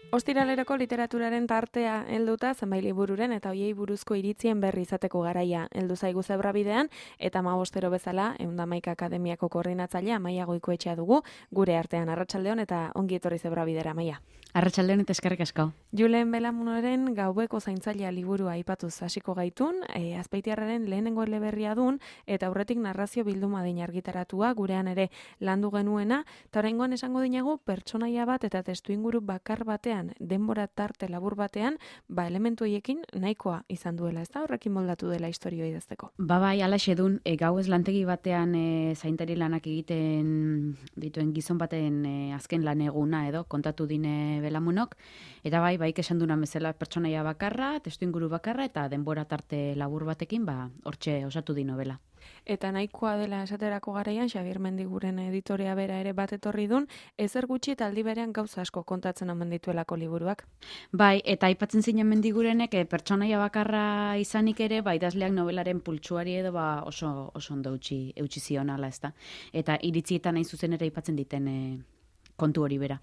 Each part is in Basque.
Ostiraleroko literaturaren tartea helduta zenbait libururen eta hoiei buruzko iritzien berri izateko garaia heldu zaigu Zebrabidean eta 15 bezala 111 Akademiako koordinatzailea Amaia Goikoetxea dugu gure artean. Arratsaldeon eta ongi etorri Zebrabidera, Amaia. Arratsaldeon eta eskerrik asko. Julen Belamunoren Gaueko zaintzailea liburua aipatuz hasiko gaitun, Azpeitiarraren lehenengo eleberria dun eta aurretik narrazio bilduma din argitaratua gurean ere landu genuena, eta oraingoan esango dinagu pertsonaia bat eta testuinguru bakar batean denbora tarte labur batean, elementu horiekin nahikoa izan duela, ezta? Horrekin moldatu dela istorioa idazteko. Bai, alaxe dun, gauez lantegi batean zaintari lanak egiten dituen gizon baten azken lan eguna edo kontatu dine Belamunok, eta bai esan duna bezala pertsonaia bakarra, testuinguru bakarra eta denbora tarte labur batekin, hortxe osatu di novela. Eta nahikoa dela esaterako garaian, Xabier Mendiguren editorea bera ere bat etorri dun, ezer gutxi eta aldi berean gauza asko kontatzen omen dituelako liburuak. Bai, eta aipatzen zinen Mendigurenek pertsonaia bakarra izanik ere, idazleak novelaren pultsuari edo oso ondo eutsi zionala, ezta. Eta iritzietan hain zuzen ere aipatzen diten kontu hori bera.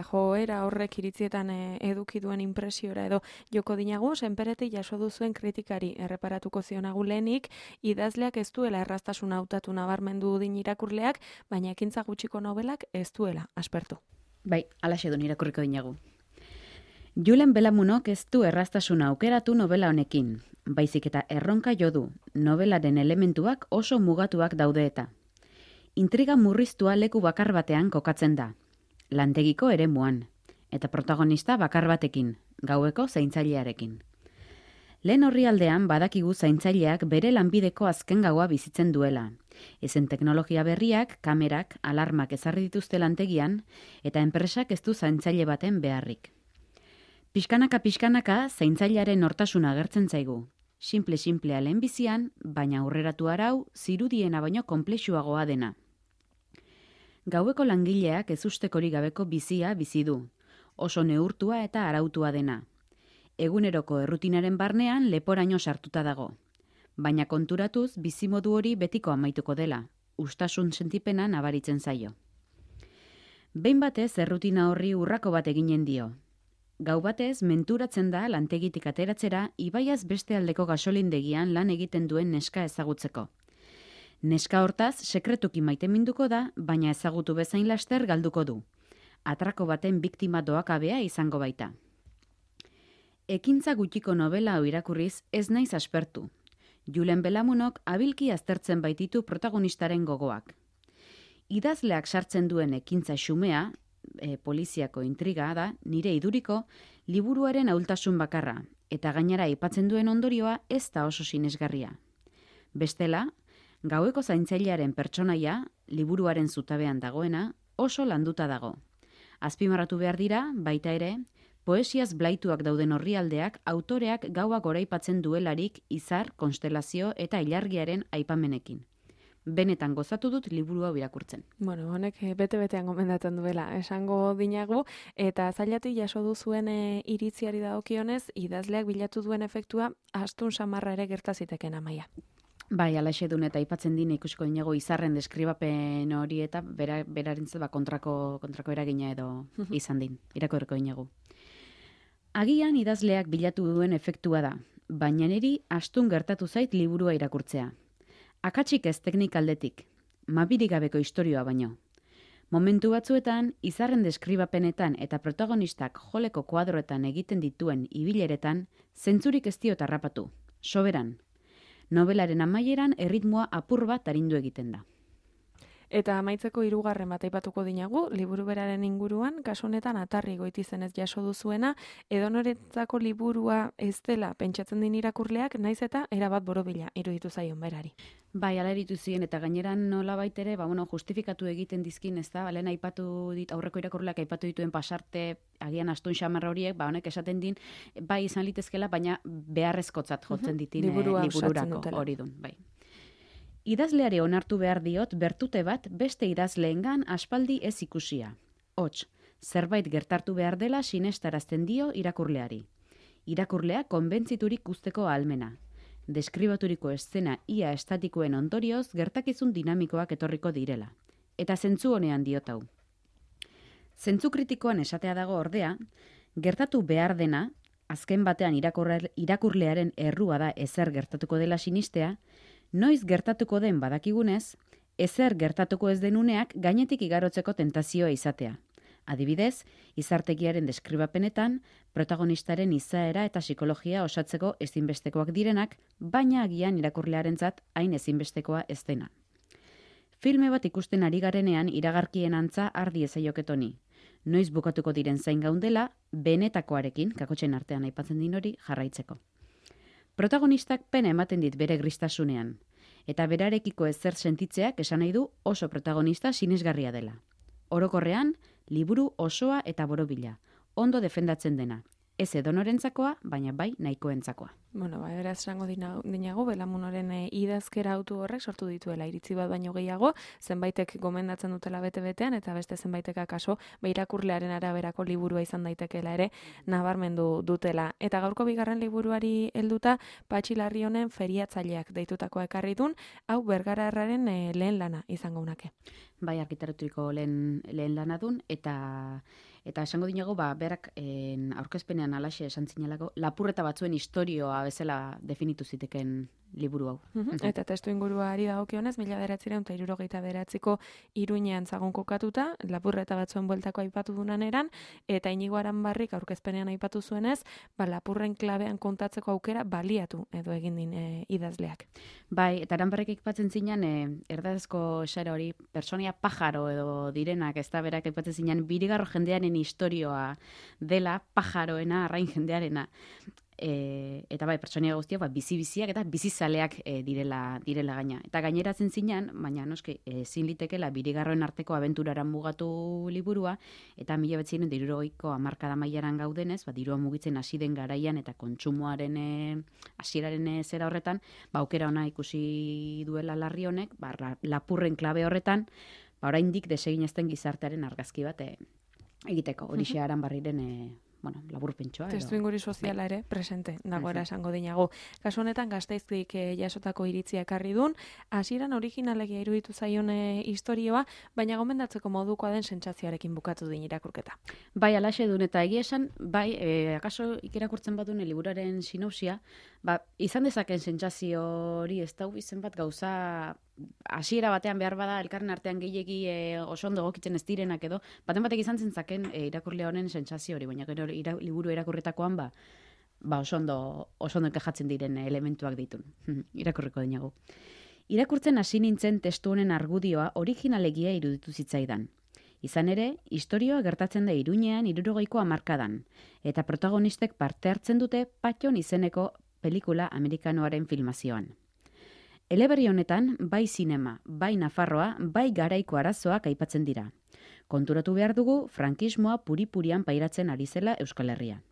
Joera horrek iritzietan eduki duen impresiora edo joko dinagu, senperetik jaso duzuen kritikari erreparatuko zionagu lehenik, idazleak ez duela erraztasuna hautatu nabarmendu din irakurleak, baina ekintza gutxiko novelak ez duela aspertu. Bai, alaxe dun irakurriko dinagu. Julen Belamunok ez du erraztasuna aukeratu novela honekin, baizik eta erronka jo du, novelaren elementuak oso mugatuak daude eta. Intriga murriztua leku bakar batean kokatzen da, lantegiko eremuan, eta protagonista bakar batekin, gaueko zaintzailearekin. Lehen orrialdean badakigu zaintzaileak bere lanbideko azken gaua bizitzen duela. Ezen teknologia berriak, kamerak, alarmak ezarri dituzte lantegian, eta enpresak ez du zaintzaile baten beharrik. Pixkanaka zaintzailearen nortasuna agertzen zaigu. Simple-simplea lehenbizian, baina aurreratu arau, zirudiena baino konplexuagoa dena. Gaueko langileak ezustekorik gabeko bizia bizi du, oso neurtua eta arautua dena. Eguneroko errutinaren barnean leporaino sartuta dago. Baina konturatuz bizimodu hori betiko amaituko dela, ustasun sentipena nabaritzen zaio. Behin batez errutina horri urrako bat eginen dio. Gau batez menturatzen da lantegitik ateratzera ibaiaz beste aldeko gasolindegian lan egiten duen neska ezagutzeko. Neska hortaz, sekretuki maiteminduko da, baina ezagutu bezain laster galduko du. Atrako baten biktima doakabea izango baita. Ekintza gutxiko novela hau irakurriz ez naiz aspertu. Julen Belamunok abilki aztertzen baititu protagonistaren gogoak. Idazleak sartzen duen ekintza xumea, poliziako intriga da, nire iduriko, liburuaren ahultasun bakarra, eta gainera aipatzen duen ondorioa ez da oso sinesgarria. Bestela, gaueko zaintzailearen pertsonaia, liburuaren zutabean dagoena, oso landuta dago. Azpimarratu behar dira, baita ere, poesiaz blaituak dauden orrialdeak autoreak gauak goraipatzen duelarik izar, konstelazio eta ilargiaren aipamenekin. Benetan gozatu dut liburu hau irakurtzen. Honek bete-betean gomendatzen duela, esango dinagu, eta zailatik jaso duzuen iritziari dagokionez, idazleak bilatu duen efektua astun samarra ere gertaziteken, Amaia. Bai, alaxe dun eta aipatzen dine ikusiko dinago izarren deskribapen hori eta berarentzat kontrako eragina edo izan din, irakurriko dinagu. Agian idazleak bilatu duen efektua da, baina niri astun gertatu zait liburua irakurtzea. Akatsik ez teknikaldetik, mabirik gabeko istorioa baino. Momentu batzuetan, izarren deskribapenetan eta protagonistak joleko kuadroetan egiten dituen ibileretan, zentzurik ez diot harrapatu, soberan. Nobelaren amaieran erritmoa apur bat arindu egiten da. Eta amaitzeko 3. bat aipatuko dinagu, liburu beraren inguruan, kasu honetan atarri goitizenez jaso duzuena, edonorentzako liburua ez dela pentsatzen din irakurleak, naiz eta erabat borobila iruditu zaion berari. Bai, ala eritu ziren, eta gaineran nola baitere, justifikatu egiten dizkin, ez da, lehen aipatu dit, aurreko irakurleak aipatu dituen pasarte, agian astun xamarra horiek, honek esaten din, bai izan litezkela, baina beharrezkotzat jotzen ditin libururako hori dun, bai. Idazleari onartu behar diot bertute bat beste idazleengan aspaldi ez ikusia. Hots, zerbait gertartu behar dela sinestarazten dio irakurleari. Irakurlea konbentziturik usteko ahalmena. Deskribaturiko eszena ia estatikoen ondorioz gertakizun dinamikoak etorriko direla. Eta zentzu honean diot hau. Zentzu kritikoan esatea dago ordea, Gertatu behar dena, azken batean irakurlearen errua da ezer gertatuko dela sinistea, noiz gertatuko den badakigunez, ezer gertatuko ez denuneak gainetik igarotzeko tentazioa izatea. Adibidez, izartegiaren deskribapenetan, protagonistaren izaera eta psikologia osatzeko ezinbestekoak direnak, baina agian irakurlearentzat hain ezinbestekoa ez dena. Filme bat ikusten ari garenean iragarkien antza ardi ezaioketoni. Noiz bukatuko diren zain gaundela, benetakoarekin, kakotxen artean aipatzen din hori, jarraitzeko. Protagonistak pena ematen dit bere gristasunean, eta berarekiko ezer sentitzeak esan nahi du oso protagonista sinesgarria dela. Orokorrean, liburu osoa eta borobila, ondo defendatzen dena. Ez edonorentzakoa, baina bai nahikoentzakoa. Bueno, beraz esango dinago, Belamunoren idazkera autu horrek sortu dituela iritzi bat baino gehiago, zenbaitek gomendatzen dutela bete-betean, eta beste zenbaitek akaso irakurlearen araberako liburua izan daitekeela ere nabarmendu dutela. Eta gaurko bigarren liburuari helduta, Patxi Larrionen Feriatzaileak deitutakoa ekarri dun, hau Bergararraren lehen lana izango unake. Bai, arkitekturiko lehen lana dun, eta esango dinago, berak aurkezpenean alaxe esan zinelako, lapurreta batzuen historioa bezala definitu ziteken liburu hau. Eta testu inguruari dagokionez, 1969ko Iruñean zagon kokatuta, lapurreta batzuen bueltako aipatu dunan eran, eta Inigo Aranbarrik aurkezpenean aipatu zuenez, lapurren klabean kontatzeko aukera baliatu edo egin din idazleak. Bai, eta Aranbarrik aipatzen zinan, erdazko esara hori, personia pajaro edo direnak, ez da berak aipatzen zinan, birigarro jendearen historioa dela, pajaroena, arrain jendearena. Eta bai, pertsonia guztiak bizi-biziak eta bizizaleak direla gaina. Eta gaineratzen zinan, baina noski ezin litekela birigarroen arteko abenturaran mugatu liburua, eta 1960ko hamarkada mailaran gaudenez, dirua mugitzen hasi den garaian eta kontsumoaren hasieraren zera horretan, aukera ona ikusi duela Larri honek, lapurren klabe horretan, oraindik deseginezten gizartearen argazki bat egiteko, horixe Aranbarriren laburpentsoa. Testu inguru soziala ere presente dagoela esango dinago. Kasu honetan Gasteiztik jasotako iritzia ekarri dun, hasieran originalegia iruditu zaion istorioa, baina gomendatzeko modukoa den sentsazioarekin bukatu din irakurketa. Bai, alaxe dun eta egia esan, akaso ikerakurtzen badun liburuaren sinopsia, izan dezaken sentsazio hori ez da izen bat gauza hasiera batean behar bada elkarren artean gehiegi oso ondo egokitzen ez direnak edo, batek izan zentzaken irakurlea honen sentsazio hori, baina gero liburu irakurretakoan oso ondo enkajatzen diren elementuak ditun. Irakurriko dinago. Irakurtzen hasi nintzen testu honen argudioa originalegia iruditu zitzaidan. Izan ere, istorioa gertatzen da Iruñean 60ko hamarkadan, eta protagonistek parte hartzen dute Patxon izeneko pelikula amerikanoaren filmazioan. Eleberri honetan, bai zinema, bai Nafarroa, bai garaiko arazoak aipatzen dira. Konturatu behar dugu, frankismoa puri-purian pairatzen ari zela Euskal Herria.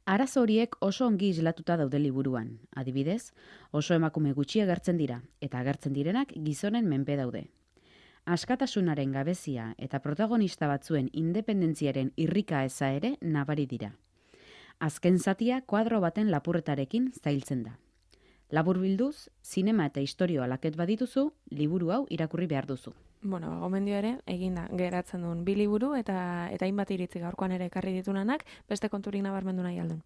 Arazo horiek oso ongi islatuta daude liburuan. Adibidez, oso emakume gutxi agertzen dira, eta agertzen direnak gizonen menpe daude. Askatasunaren gabezia eta protagonista batzuen independentziaren irrika eza ere nabari dira. Azken zatia kuadro baten lapurretarekin zailtzen da. Laburbilduz, zinema eta historioa laket badituzu, liburu hau irakurri behar duzu. Gomendio ere, eginda, geratzen duen bi liburu eta hainbat iritzi gaurkoan ere ekarri ditunanak, beste konturik nabarmendu nahi aldun.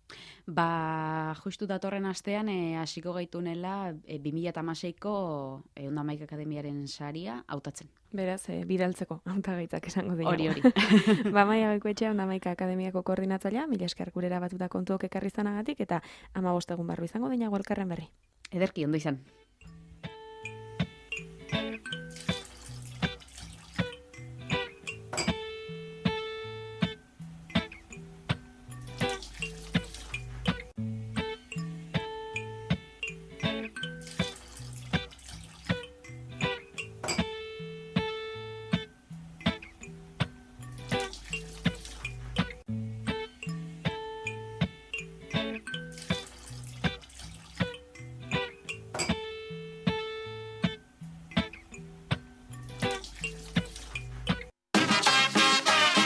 Justu datorren astean, hasiko gaitunela 2016ko Ondamaik Akademiaren saria hautatzen. Beraz, bidaltzeko hautagaitzak esango dira. Hori. Maia Goikoetxea Ondamaik Akademiako koordinatzailea, mila esker gurera batuta kontuok ekarri zanagatik, eta 15 egun barru izango dinago elkarren berri. Ederki, ondo izan.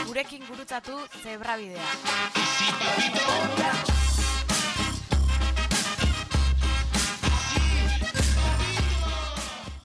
Gurekin gurutzatu Zebrabidea.